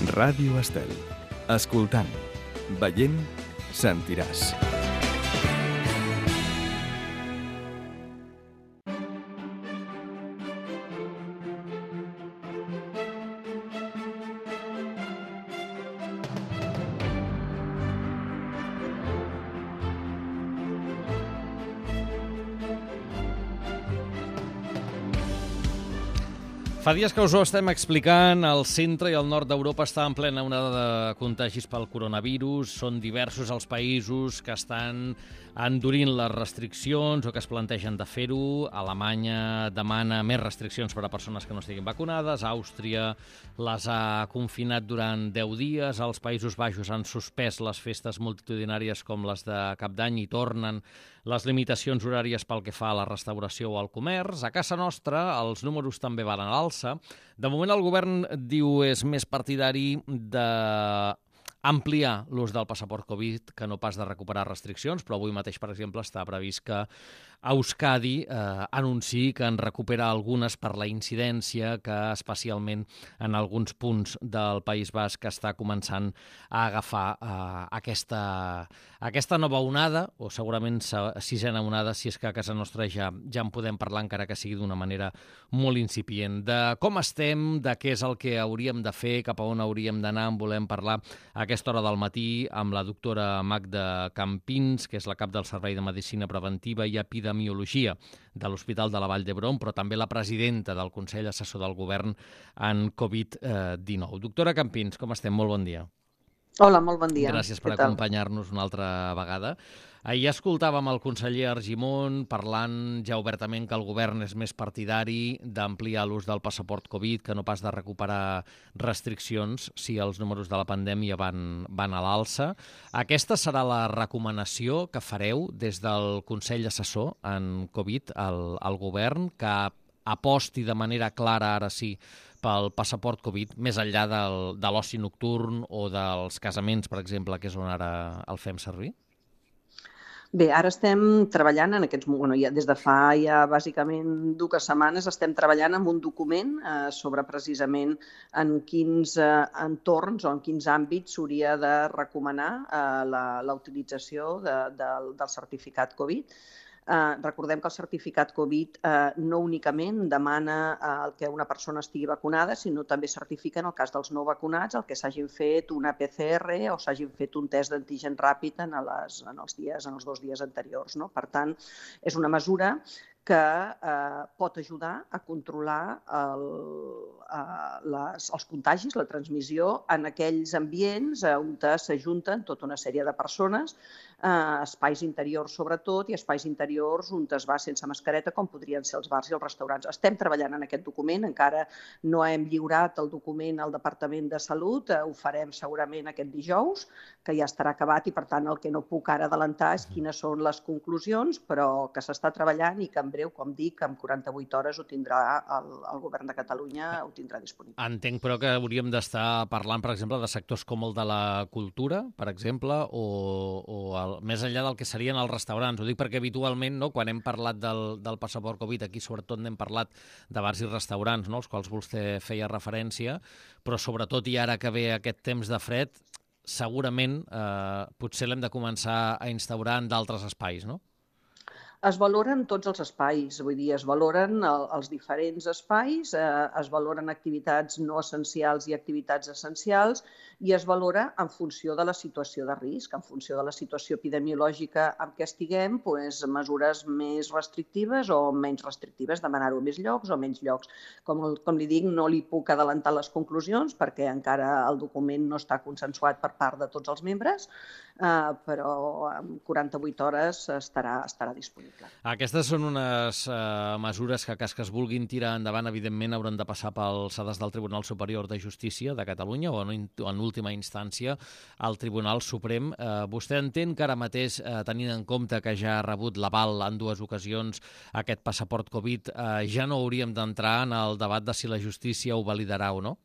Ràdio Estel. Escoltant, veient, sentiràs. Fa dies que us ho estem explicant, el centre i el nord d'Europa està en plena onada de contagis pel coronavirus. Són diversos els països que estan endurint les restriccions o que es plantegen de fer-ho. Alemanya demana més restriccions per a persones que no estiguin vacunades. Àustria les ha confinat durant 10 dies. Els Països Baixos han suspès les festes multitudinàries com les de Cap d'Any i tornen les limitacions horàries pel que fa a la restauració o al comerç. A casa nostra els números també van a l'alça. De moment el govern diu és més partidari d'ampliar l'ús del passaport Covid que no pas de recuperar restriccions, però avui mateix, per exemple, està previst que Euskadi anunciï que en recupera algunes per la incidència que especialment en alguns punts del País Basc està començant a agafar aquesta nova onada, o segurament sisena onada, si és que a casa nostra ja en podem parlar, encara que sigui d'una manera molt incipient. De com estem, de què és el que hauríem de fer, cap a on hauríem d'anar, en volem parlar a aquesta hora del matí amb la doctora Magda Campins, que és la cap del Servei de Medicina Preventiva i Epidemiologia de l'Hospital de la Vall d'Hebron, però també la presidenta del Consell Assessor del Govern en Covid-19. Doctora Campins, com estem? Molt bon dia. Hola, molt bon dia. Gràcies per acompanyar-nos una altra vegada. Ahir escoltàvem el conseller Argimon parlant ja obertament que el govern és més partidari d'ampliar l'ús del passaport Covid que no pas de recuperar restriccions si els números de la pandèmia van a l'alça. Aquesta serà la recomanació que fareu des del Consell Assessor en Covid al govern, que aposti de manera clara, ara sí, pel passaport Covid, més enllà de l'oci nocturn o dels casaments, per exemple, que és on ara el fem servir? Bé, ara estem treballant en aquests moments, ja des de fa ja bàsicament 2 setmanes estem treballant en un document sobre precisament en quins entorns o en quins àmbits s'hauria de recomanar la utilització del certificat Covid. Recordem que el certificat Covid no únicament demana que una persona estigui vacunada, sinó també certifica, en el cas dels no vacunats, el que s'hagin fet una PCR o s'hagin fet un test d'antigen ràpid en els 2 dies anteriors. Per tant, és una mesura que pot ajudar a controlar els contagis, la transmissió, en aquells ambients on s'ajunten tota una sèrie de persones, espais interiors sobretot i espais interiors on es va sense mascareta, com podrien ser els bars i els restaurants. Estem treballant en aquest document, encara no hem lliurat el document al Departament de Salut, ho farem segurament aquest dijous, que ja estarà acabat i per tant el que no puc ara adelantar és quines són les conclusions, però que s'està treballant i que en breu, com dic, en 48 hores ho tindrà el Govern de Catalunya, ho tindrà disponible. Entenc, però, que hauríem d'estar parlant, per exemple, de sectors com el de la cultura, per exemple, o més enllà del que serien els restaurants. Ho dic perquè habitualment, quan hem parlat del passaport Covid, aquí sobretot n'hem parlat de bars i restaurants, als quals vostè feia referència, però sobretot i ara que ve aquest temps de fred, segurament potser l'hem de començar a instaurar en d'altres espais, no? Es valoren tots els espais, vull dir, es valoren els diferents espais, es valoren activitats no essencials i activitats essencials i es valora en funció de la situació de risc, en funció de la situació epidemiològica en què estiguem, mesures més restrictives o menys restrictives, demanar-ho a més llocs o menys llocs. Com li dic, no li puc adelantar les conclusions perquè encara el document no està consensuat per part de tots els membres, però en 48 hores estarà disponible. Aquestes són unes mesures que, cas que es vulguin tirar endavant, evidentment hauran de passar pels sades del Tribunal Superior de Justícia de Catalunya o, en última instància, al Tribunal Suprem. Vostè entén que ara mateix, tenint en compte que ja ha rebut l'aval en 2 ocasions aquest passaport Covid, ja no hauríem d'entrar en el debat de si la justícia ho validarà o no?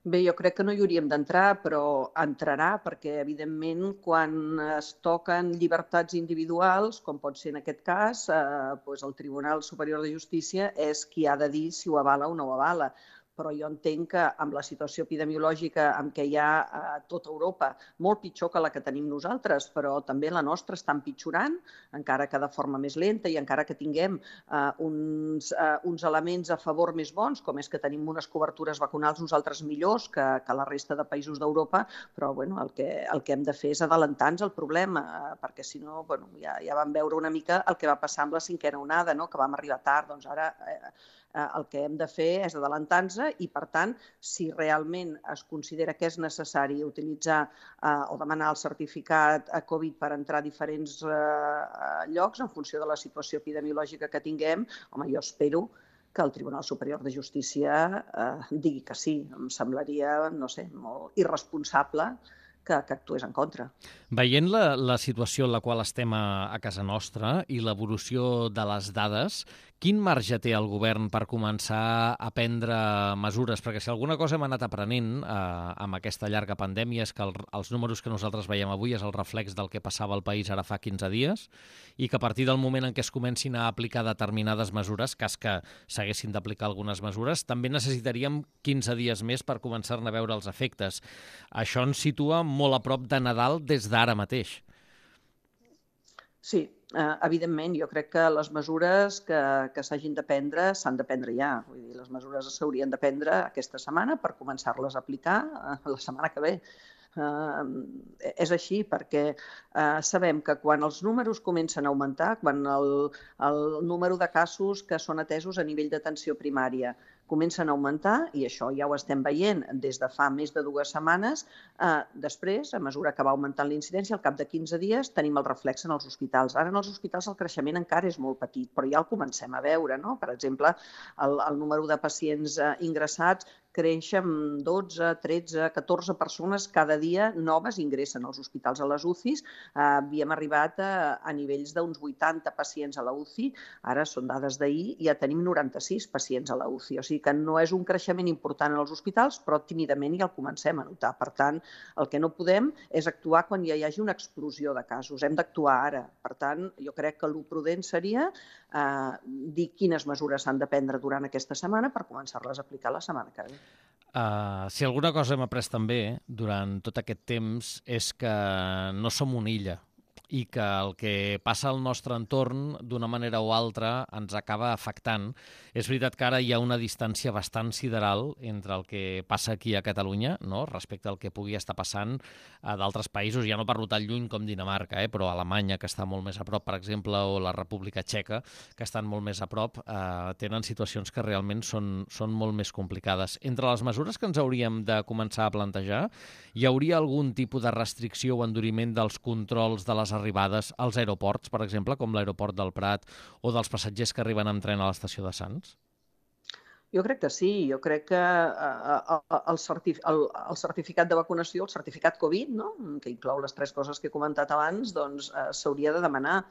Bé, jo crec que no hi hauríem d'entrar, però entrarà perquè, evidentment, quan es toquen llibertats individuals, com pot ser en aquest cas, el Tribunal Superior de Justícia és qui ha de dir si ho avala o no ho avala. però jo entenc que amb la situació epidemiològica en què hi ha a tota Europa, molt pitjor que la que tenim nosaltres, però també la nostra està empitjorant, encara que de forma més lenta i encara que tinguem uns elements a favor més bons, com és que tenim unes cobertures vacunals nosaltres millors que la resta de països d'Europa, però bueno, el que hem de fer és adelantar-nos el problema, perquè si no, bueno, ja vam veure una mica el que va passar amb la 5a onada, no? Que vam arribar tard. Doncs ara el que hem de fer és adelantar-nos i, per tant, si realment es considera que és necessari utilitzar o demanar el certificat Covid per entrar a diferents llocs en funció de la situació epidemiològica que tinguem, home, jo espero que el Tribunal Superior de Justícia digui que sí. Em semblaria, no sé, molt irresponsable que actués en contra. Veient la situació en la qual estem a casa nostra i l'evolució de les dades, quin marge té el govern per començar a prendre mesures? Perquè si alguna cosa hem anat aprenent amb aquesta llarga pandèmia és que els números que nosaltres veiem avui és el reflex del que passava al país ara fa 15 dies i que a partir del moment en què es comencin a aplicar determinades mesures, cas que s'haguessin d'aplicar algunes mesures, també necessitaríem 15 dies més per començar-ne a veure els efectes. Això ens situa molt a prop de Nadal des d'ara mateix. Sí, evidentment, jo crec que les mesures que s'hagin de prendre s'han de prendre ja. Vull dir, les mesures s'haurien de prendre aquesta setmana per començar-les a aplicar la setmana que ve. És així perquè sabem que quan els números comencen a augmentar, quan el número de casos que són atesos a nivell d'atenció primària comencen a augmentar, i això ja ho estem veient des de fa més de 2 setmanes, després, a mesura que va augmentant la incidència, al cap de 15 dies tenim el reflex en els hospitals. Ara en els hospitals el creixement encara és molt petit, però ja el comencem a veure, no? Per exemple, el número de pacients ingressats creix amb 12, 13, 14 persones cada dia noves ingressen als hospitals a les UCIs. Havíem arribat a nivells d'uns 80 pacients a la UCI, ara són dades d'ahir, i ja tenim 96 pacients a la UCI. O sigui que no és un creixement important en els hospitals, però tímidament ja el comencem a notar. Per tant, el que no podem és actuar quan ja hi hagi una explosió de casos. Hem d'actuar ara. Per tant, jo crec que el prudent seria dir quines mesures s'han de prendre durant aquesta setmana per començar-les a aplicar la setmana que ve. Si alguna cosa hem après també durant tot aquest temps és que no som una illa i que el que passa al nostre entorn, d'una manera o altra, ens acaba afectant. És veritat que ara hi ha una distància bastant sideral entre el que passa aquí a Catalunya, no?, respecte al que pugui estar passant a d'altres països. Ja no parlo tan lluny com Dinamarca, però Alemanya, que està molt més a prop, per exemple, o la República Txeca, que estan molt més a prop, tenen situacions que realment són molt més complicades. Entre les mesures que ens hauríem de començar a plantejar, hi hauria algun tipus de restricció o enduriment dels controls de les arribades als aeroports, per exemple, com l'aeroport del Prat, o dels passatgers que arriben amb tren a l'estació de Sants? Jo crec que sí. Jo crec que el certificat de vacunació, el certificat Covid, no?, que inclou les 3 coses que he comentat abans, doncs s'hauria de demanar.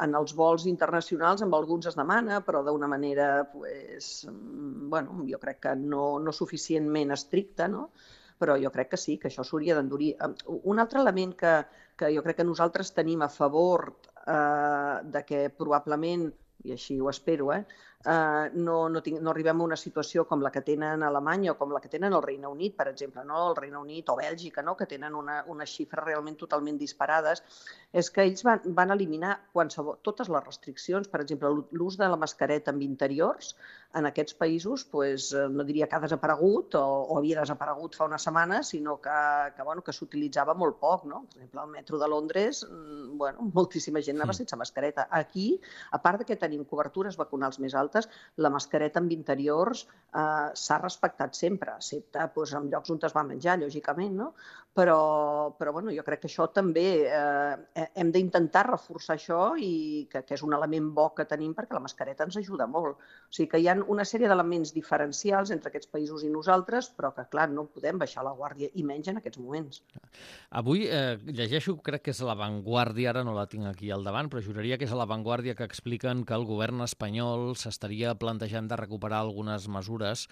En els vols internacionals amb alguns es demana, però d'una manera, bueno, jo crec que no suficientment estricta, no? Però jo crec que sí, que això s'hauria d'endurir. Un altre element que jo crec que nosaltres tenim a favor de que probablement, i així ho espero, no arribem a una situació com la que tenen a Alemanya o com la que tenen al Regne Unit, per exemple, no? El Regne Unit o Bèlgica, no?, que tenen unes xifres realment totalment disparades, és que ells van eliminar totes les restriccions. Per exemple, l'ús de la mascareta en interiors en aquests països, no diria que ha desaparegut o havia desaparegut fa una setmana, sinó que s'utilitzava molt poc, no? Per exemple, al metro de Londres, moltíssima gent anava sense mascareta. Aquí, a part que tenim cobertures vacunals més altes, la mascareta en interiors s'ha respectat sempre, excepte en llocs on es va menjar, lògicament, no? Però jo crec que això també hem d'intentar reforçar això i que és un element bo que tenim perquè la mascareta ens ajuda molt. O sigui que hi ha una sèrie d'elements diferencials entre aquests països i nosaltres, però que, clar, no podem baixar la guàrdia, i menys en aquests moments. Avui llegeixo, crec que és a La Vanguardia, ara no la tinc aquí al davant, però juraria que és a La Vanguardia, que expliquen que el govern espanyol s'estaria plantejant de recuperar algunes mesures,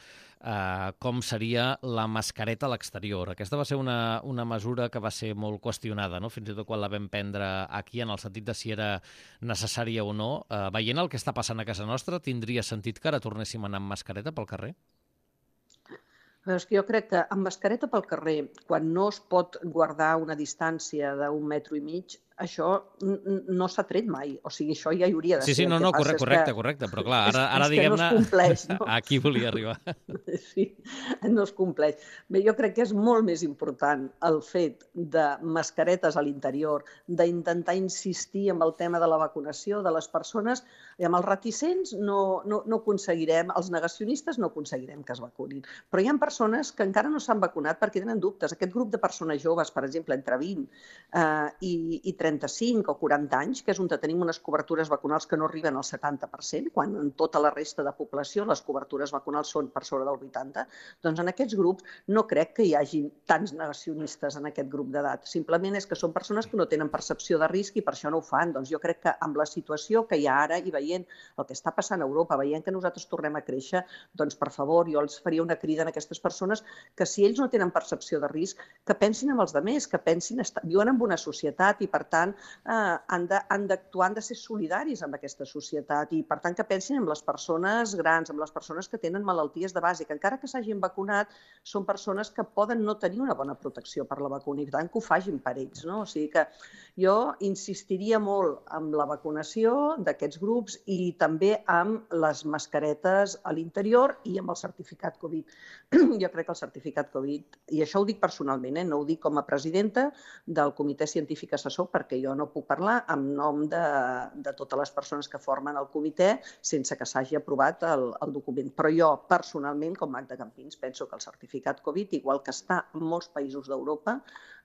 com seria la mascareta a l'exterior. Aquesta va ser una mesura que va ser molt qüestionada, no?, fins i tot quan la vam prendre aquí, en el sentit de si era necessària o no. Veient el que està passant a casa nostra, tindria sentit que ara tornéssim a anar amb mascareta pel carrer? Però és que jo crec que amb mascareta pel carrer, quan no es pot guardar una distància d'1,5 metres, això no s'ha tret mai. O sigui, això ja hi hauria de Sí, ser. El que passa és correcte, que correcte. Però clar, ara és que no es diguem-ne, compleix, no? aquí volia arribar. Sí, no es compleix. Bé, jo crec que és molt més important el fet de mascaretes a l'interior, d'intentar insistir amb el tema de la vacunació de les persones, i amb els reticents no aconseguirem, els negacionistes no aconseguirem que es vacunin. Però hi ha persones que encara no s'han vacunat perquè tenen dubtes. Aquest grup de persones joves, per exemple, entre 20 i 35 o 40 anys, que és on tenim unes cobertures vacunals que no arriben al 70%, quan en tota la resta de població les cobertures vacunals són per sobre del 80%, doncs en aquests grups no crec que hi hagi tants negacionistes en aquest grup d'edat. Simplement és que són persones que no tenen percepció de risc i per això no ho fan. Doncs jo crec que amb la situació que hi ha ara i veient el que està passant a Europa, veient que nosaltres tornem a créixer, doncs per favor, jo els faria una crida a aquestes persones que si ells no tenen percepció de risc, que pensin en els altres, que pensin, viuen en una societat i per tant han d'actuar, han de ser solidaris amb aquesta societat i per tant que pensin en les persones grans, en les persones que tenen malalties de base, que encara que s'hagin vacunat són persones que poden no tenir una bona protecció per la vacuna i per tant que ho facin per ells, no? O sigui que jo insistiria molt amb la vacunació d'aquests grups i també amb les mascaretes a l'interior i amb el certificat Covid. Jo crec que el certificat Covid, i això ho dic personalment, no ho dic com a presidenta del Comitè Científic Assessor, perquè jo no puc parlar en nom de totes les persones que formen el comitè sense que s'hagi aprovat el document. Però jo, personalment, com Magda Campins, penso que el certificat Covid, igual que està en molts països d'Europa,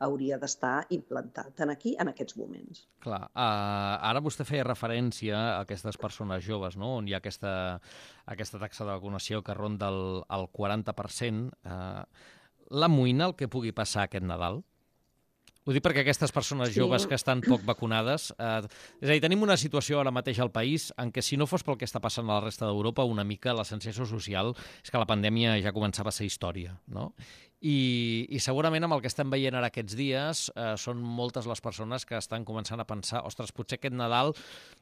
hauria d'estar implantat aquí en aquests moments. Clar, ara vostè feia referència a aquestes persones joves, no? On hi ha aquesta taxa de vacunació que ronda el 40%. L'amoïna el que pugui passar aquest Nadal? Ho dic perquè aquestes persones joves que estan poc vacunades... és a dir, tenim una situació ara mateix al país en què si no fos pel que està passant a la resta d'Europa, una mica la sensació social és que la pandèmia ja començava a ser història, no? I segurament amb el que estem veient ara aquests dies són moltes les persones que estan començant a pensar ostres, potser aquest Nadal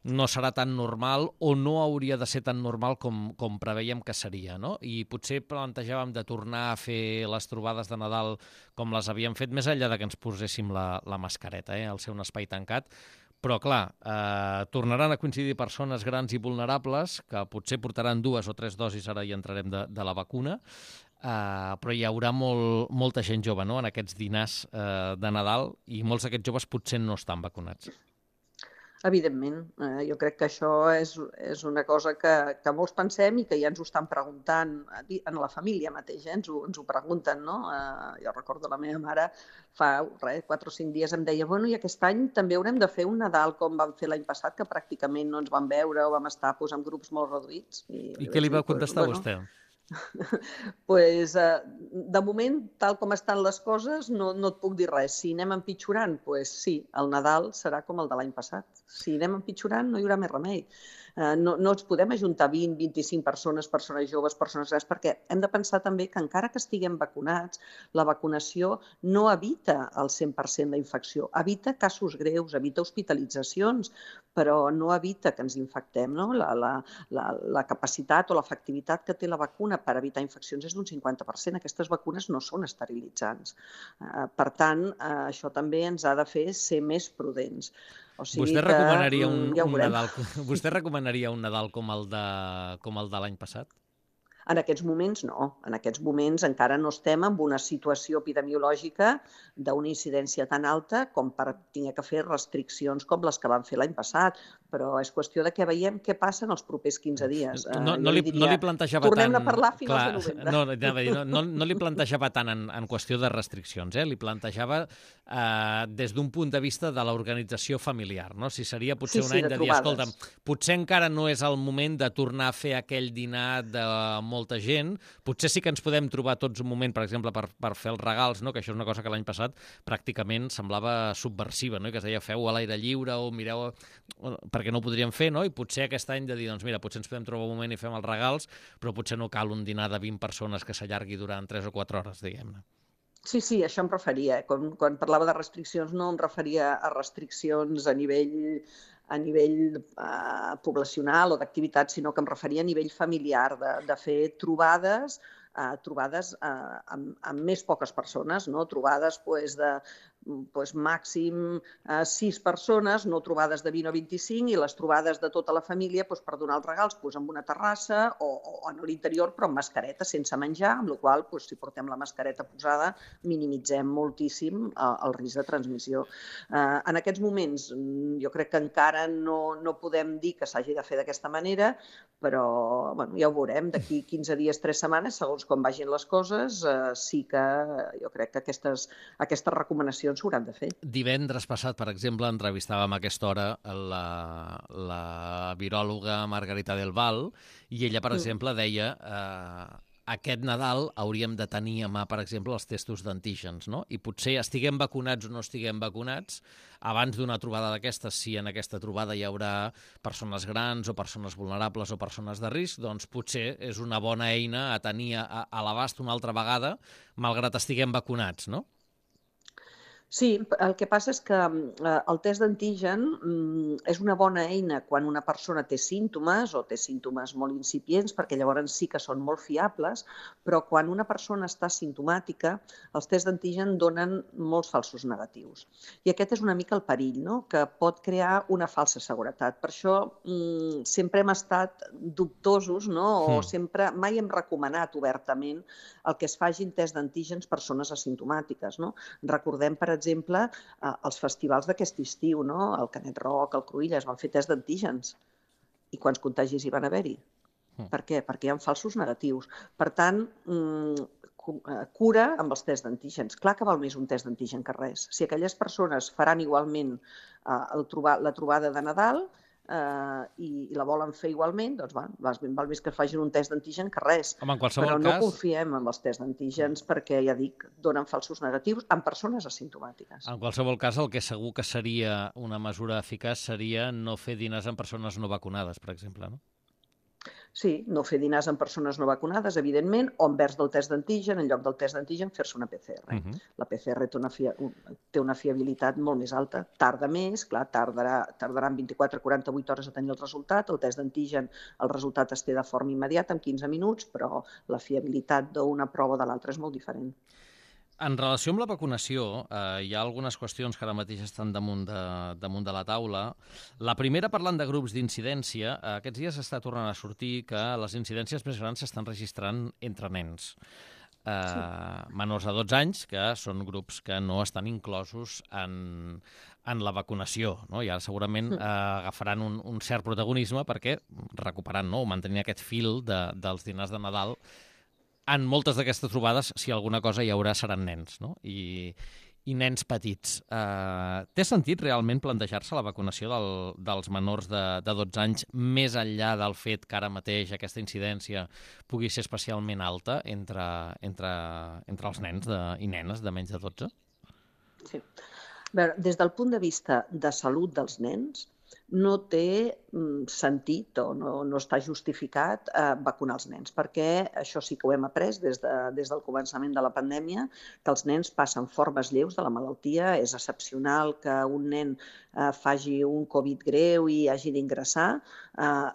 no serà tan normal o no hauria de ser tan normal com preveiem que seria, no? I potser plantejàvem de tornar a fer les trobades de Nadal com les havíem fet, més enllà de que ens poséssim la mascareta, al ser un espai tancat. Però, clar, tornaran a coincidir persones grans i vulnerables que potser portaran 2 o 3 dosis, ara hi entrarem, de la vacuna, però hi haurà molta gent jove, no?, en aquests dinars de Nadal i molts d'aquests joves potser no estan vacunats. Evidentment, jo crec que això és una cosa que molts pensem i que ja ens ho estan preguntant en la família mateix, ens ho pregunten, no? Jo recordo la meva mare fa 4 o 5 dies em deia bueno, i aquest any també haurem de fer un Nadal com vam fer l'any passat, que pràcticament no ens vam veure o vam estar en grups molt reduïts. I què li va contestar vostè? Pues, de moment, tal com estan les coses, no et puc dir res. Si anem empitjorant, pues sí, el Nadal serà com el de l'any passat. Si anem empitjorant, no hi haurà més remei. No ens podem ajuntar 20, 25 persones joves, persones grans, perquè hem de pensar també que encara que estiguem vacunats, la vacunació no evita el 100% la infecció, evita casos greus, evita hospitalitzacions, però no evita que ens infectem, no? La capacitat o l'efectivitat que té la vacuna per evitar infeccions és d'un 50%. Aquestes vacunes no són esterilitzants. Per tant, això també ens ha de fer ser més prudents. O sigui vostè recomanaria vostè recomanaria un Nadal com el de l'any passat? En aquests moments no. En aquests moments encara no estem en una situació epidemiològica d'una incidència tan alta com per haver de fer restriccions com les que van fer l'any passat. Però és qüestió de que veiem què passa en els propers 15 dies. No li plantejava tant... Tornem a parlar a finals de novembre. No li plantejava tant en qüestió de restriccions, li plantejava des d'un punt de vista de l'organització familiar, no? Si seria potser un any de dir, escolta'm, potser encara no és el moment de tornar a fer aquell dinar de molta gent, potser sí que ens podem trobar tots un moment, per exemple, per fer els regals, no? Que això és una cosa que l'any passat pràcticament semblava subversiva, no? I que es deia feu a l'aire lliure o mireu... perquè no ho podríem fer, no? I potser aquest any de dir, doncs mira, potser ens podem trobar un moment i fem els regals, però potser no cal un dinar de 20 persones que s'allargui durant 3 o 4 hores, diguem-ne. Sí, això em referia. Quan parlava de restriccions no em referia a restriccions a nivell poblacional o d'activitat, sinó que em referia a nivell familiar, de fer trobades trobades amb més poques persones, no? Trobades de màxim 6 persones, no trobades de 20 o 25, i les trobades de tota la família per donar els regals en una terrassa o a l'interior, però amb mascareta, sense menjar, amb la qual cosa, si portem la mascareta posada, minimitzem moltíssim el risc de transmissió. En aquests moments jo crec que encara no podem dir que s'hagi de fer d'aquesta manera, però ja ho veurem. D'aquí 15 dies, 3 setmanes, segons com vagin les coses, sí que jo crec que aquestes recomanacions s'hauran de fer. Divendres passat, per exemple, entrevistàvem a aquesta hora la viròloga Margarita del Val, i ella, per exemple, deia aquest Nadal hauríem de tenir a mà, per exemple, els testos d'antígens, no? I potser estiguem vacunats o no estiguem vacunats, abans d'una trobada d'aquestes, si en aquesta trobada hi haurà persones grans o persones vulnerables o persones de risc, doncs potser és una bona eina a tenir a l'abast una altra vegada, malgrat estiguem vacunats, no? Sí, el que passa és que el test d'antigen és una bona eina quan una persona té símptomes o té símptomes molt incipients, perquè llavors sí que són molt fiables, però quan una persona està simptomàtica, els tests d'antigen donen molts falsos negatius. I aquest és una mica el perill, no? Que pot crear una falsa seguretat. Per això sempre hem estat dubtosos, no? O sempre mai hem recomanat obertament el que es facin test d'antígens persones asimptomàtiques, no? Recordem, per exemple, els festivals d'aquest estiu, no? El Canet Rock, el Cruïlles, van fer test d'antígens. I quants contagis hi van haver-hi? Per què? Perquè hi ha falsos negatius. Per tant, cura amb els tests d'antígens. Clar que val més un test d'antigen que res. Si aquelles persones faran igualment la trobada de Nadal i la volen fer igualment, doncs val més que facin un test d'antigen que res. Però no confiem en els tests d'antígens perquè, ja dic, donen falsos negatius en persones asimptomàtiques. En qualsevol cas, el que segur que seria una mesura eficaç seria no fer dinars amb persones no vacunades, per exemple, no? Sí, no fer dinars amb persones no vacunades, evidentment, o envers del test d'antigen, en lloc del test d'antigen, fer-se una PCR. La PCR té una fiabilitat molt més alta. Tarda més, clar, tardaran 24 o 48 hores a tenir el resultat. El test d'antigen, el resultat es té de forma immediata, en 15 minuts, però la fiabilitat d'una prova o de l'altra és molt diferent. En relació amb la vacunació, hi ha algunes qüestions que ara mateix estan damunt de la taula. La primera, parlant de grups d'incidència, aquests dies està tornant a sortir que les incidències més grans s'estan registrant entre nens. Menors de 12 anys, que són grups que no estan inclosos en la vacunació, no? I ara segurament agafaran un cert protagonisme perquè recuperaran, no? O mantenint aquest fil dels dinars de Nadal. En moltes d'aquestes trobades, si alguna cosa hi haurà, seran nens, no? I nens petits. Té sentit realment plantejar-se la vacunació dels menors de 12 anys més enllà del fet que ara mateix aquesta incidència pugui ser especialment alta entre els nens i nenes de menys de 12? Sí. Des del punt de vista de salut dels nens, no té sentit o no està justificat vacunar els nens, perquè això sí que ho hem après des del començament de la pandèmia, que els nens passen formes lleus de la malaltia. És excepcional que un nen faci un Covid greu i hagi d'ingressar.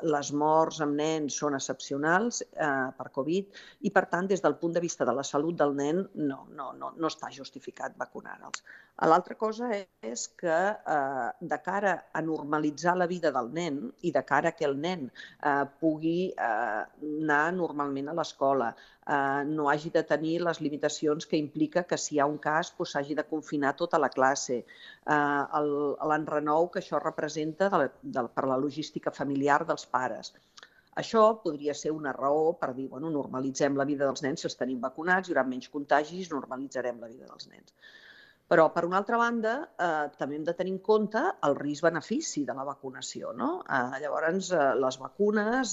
Les morts amb nens són excepcionals per Covid i, per tant, des del punt de vista de la salut del nen, no està justificat vacunar-los. L'altra cosa és que de cara a normalitzar la vida del nen i de cara que el nen pugui anar normalment a l'escola, no hagi de tenir les limitacions que implica que si hi ha un cas s'hagi de confinar tota la classe, l'enrenou que això representa per la logística familiar dels pares. Això podria ser una raó per dir, normalitzem la vida dels nens, si els tenim vacunats, hi haurà menys contagis, normalitzarem la vida dels nens. Però, per una altra banda, també hem de tenir en compte el risc-benefici de la vacunació, no? Llavors, les vacunes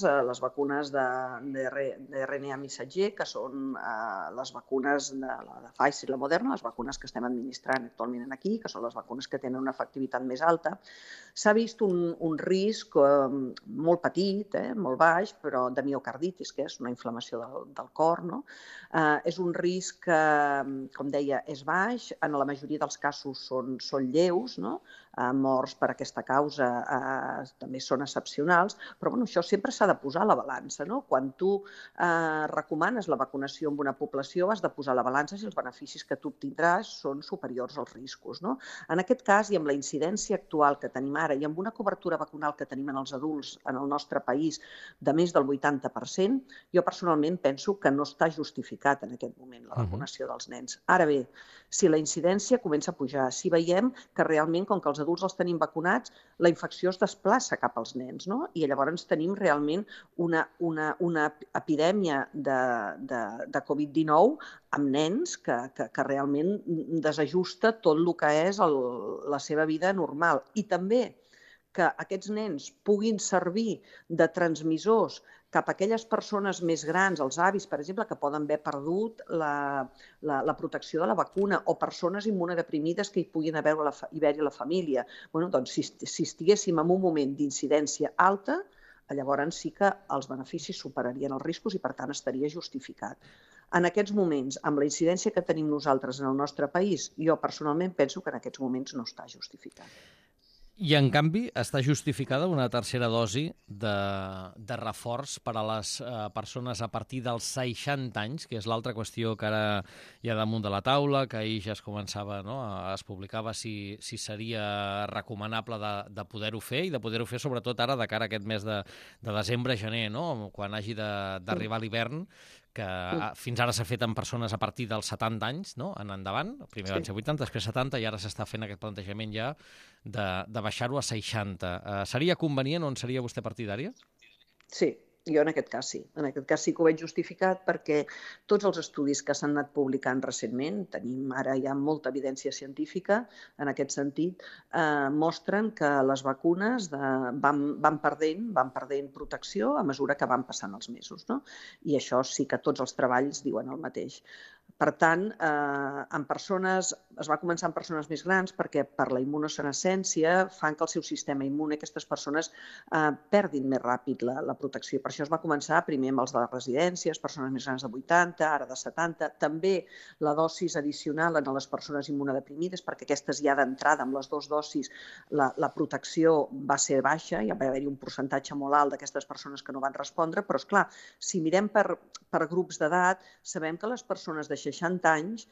d'RNA missatger, que són les vacunes de Pfizer i la Moderna, les vacunes que estem administrant actualment aquí, que són les vacunes que tenen una efectivitat més alta, s'ha vist un risc molt petit, molt baix, però de miocarditis, que és una inflamació del cor, no? És un risc que, com deia, és baix, en la majoria dels casos són lleus, no? morts per aquesta causa també són excepcionals, però això sempre s'ha de posar a la balança, no? Quan tu recomanes la vacunació en una població, has de posar a la balança si els beneficis que tu obtindràs són superiors als riscos, no? En aquest cas, i amb la incidència actual que tenim ara i amb una cobertura vacunal que tenim en els adults en el nostre país de més del 80%, jo personalment penso que no està justificat en aquest moment la vacunació dels nens. Ara bé, si la incidència comença a pujar, si veiem que realment, com que els adults els tenim vacunats, la infecció es desplaça cap als nens, no? I llavors tenim realment una epidèmia de Covid-19 amb nens que realment desajusta tot el que és la seva vida normal. I també que aquests nens puguin servir de transmissors cap a aquelles persones més grans, els avis, per exemple, que poden haver perdut la protecció de la vacuna, o persones immunodeprimides que hi puguin haver-hi a la família. Doncs si estiguéssim en un moment d'incidència alta, llavors sí que els beneficis superarien els riscos i, per tant, estaria justificat. En aquests moments, amb la incidència que tenim nosaltres en el nostre país, jo personalment penso que en aquests moments no està justificat. I, en canvi, està justificada una tercera dosi de reforç per a les persones a partir dels 60 anys, que és l'altra qüestió que ara hi ha damunt de la taula, que ahir ja es començava, no? Es publicava si seria recomanable de poder-ho fer, i de poder-ho fer sobretot ara de cara a aquest mes de desembre-gener, no? Quan hagi d'arribar l'hivern, que fins ara s'ha fet en persones a partir dels 70 anys, no? En endavant. Primer van ser 80, després 70, i ara s'està fent aquest plantejament ja de baixar-ho a 60. Seria convenient o en seria vostè partidària? Sí. Jo en aquest cas sí. En aquest cas sí que ho veig justificat perquè tots els estudis que s'han anat publicant recentment, tenim ara ja molta evidència científica en aquest sentit, mostren que les vacunes van perdent protecció a mesura que van passant els mesos, no? I això sí que tots els treballs diuen el mateix. Per tant, es va començar en persones més grans perquè per la immunosenescència fan que el seu sistema immune, aquestes persones, perdin més ràpid la protecció. Per això es va començar primer amb els de les residències, persones més grans de 80, ara de 70. També la dosis addicional en les persones immunodeprimides, perquè aquestes ja d'entrada, amb les dues dosis, la protecció va ser baixa, ja va haver-hi un percentatge molt alt d'aquestes persones que no van respondre, però, esclar, si mirem per grups d'edat, sabem que les persones de 60 anys,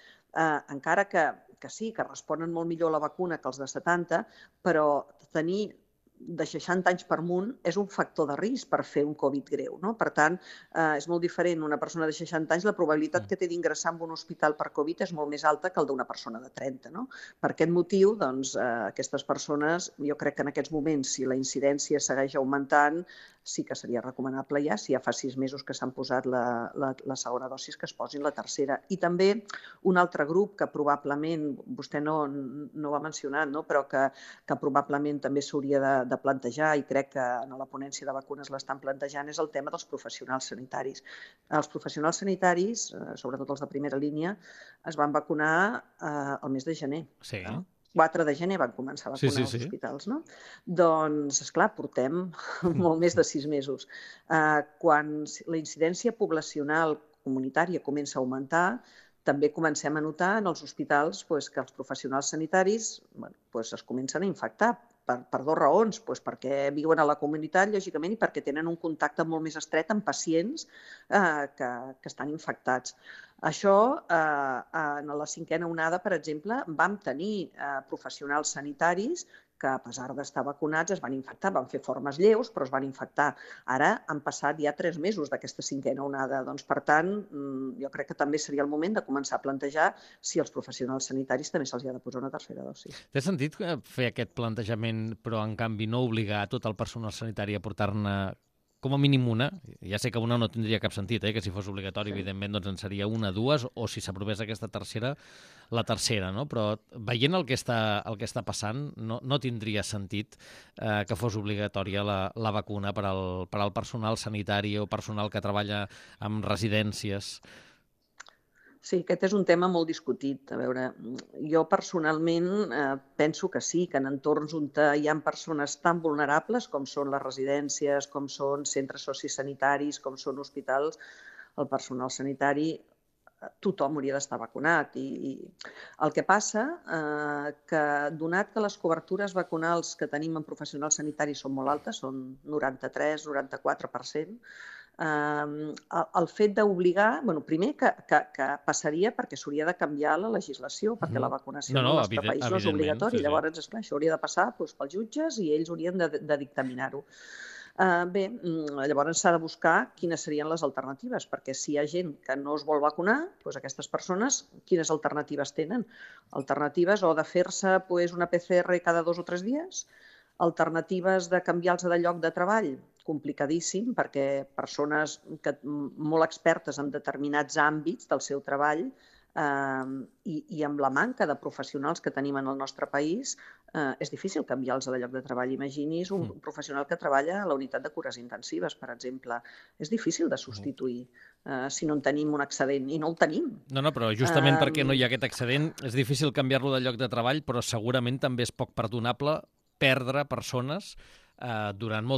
encara que sí, que responen molt millor a la vacuna que els de 70, però tenir de 60 anys per amunt és un factor de risc per fer un Covid greu, no? Per tant, és molt diferent. Una persona de 60 anys, la probabilitat que té d'ingressar en un hospital per Covid és molt més alta que el d'una persona de 30, no? Per aquest motiu, doncs, aquestes persones, jo crec que en aquests moments, si la incidència segueix augmentant, sí que seria recomanable ja, si ja fa 6 mesos que s'han posat la segona dosis, que es posin la tercera. I també un altre grup que probablement, vostè no ho ha mencionat, no? Però que probablement també s'hauria de plantejar, i crec que en la ponència de vacunes l'estan plantejant, és el tema dels professionals sanitaris. Els professionals sanitaris, sobretot els de primera línia, es van vacunar al mes de gener. Sí. 4 de gener van començar a vacunar als hospitals, no? Doncs, esclar, portem molt més de 6 mesos. Quan la incidència poblacional comunitària comença a augmentar, també comencem a notar en els hospitals que els professionals sanitaris es comencen a infectar per 2 raons, perquè viuen a la comunitat, lògicament, i perquè tenen un contacte molt més estret amb pacients que estan infectats. Això, en la 5a onada, per exemple, vam tenir professionals sanitaris que, a pesar d'estar vacunats, es van infectar. Van fer formes lleus, però es van infectar. Ara han passat ja 3 mesos d'aquesta 5a onada. Doncs, per tant, jo crec que també seria el moment de començar a plantejar si als professionals sanitaris també se'ls ha de posar una tercera dosi. Té sentit fer aquest plantejament, però, en canvi, no obligar tot el personal sanitari a portar-ne com a mínim una? Ja sé que una no tindria cap sentit, que si fos obligatori, evidentment, doncs en seria una, 2, o si s'aprovés aquesta tercera, la tercera, no? Però veient el que està passant, no tindria sentit que fos obligatòria la vacuna per al personal sanitari o personal que treballa en residències. Sí, aquest és un tema molt discutit. A veure, jo personalment penso que sí, que en entorns on hi ha persones tan vulnerables com són les residències, com són centres sociosanitaris, com són hospitals, el personal sanitari tothom hauria d'estar vacunat. I el que passa que, donat que les cobertures vacunals que tenim en professionals sanitaris són molt altes, són 93-94%, el fet d'obligar, primer que passaria perquè s'hauria de canviar la legislació, perquè la vacunació en el nostre país no és obligatòria. Llavors, esclar, això hauria de passar pels jutges i ells haurien de dictaminar-ho. Bé, llavors s'ha de buscar quines serien les alternatives, perquè si hi ha gent que no es vol vacunar, doncs aquestes persones, quines alternatives tenen? Alternatives o de fer-se una PCR cada 2 o 3 dies, alternatives de canviar-los de lloc de treball, complicadíssim, perquè persones molt expertes en determinats àmbits del seu treball i amb la manca de professionals que tenim en el nostre país, és difícil canviar-los de lloc de treball. Imagini's un professional que treballa a la unitat de cures intensives, per exemple. És difícil de substituir si no en tenim un excedent, i no el tenim. No, però justament perquè no hi ha aquest excedent, és difícil canviar-lo de lloc de treball, però segurament també és poc perdonable perdre persones durant molt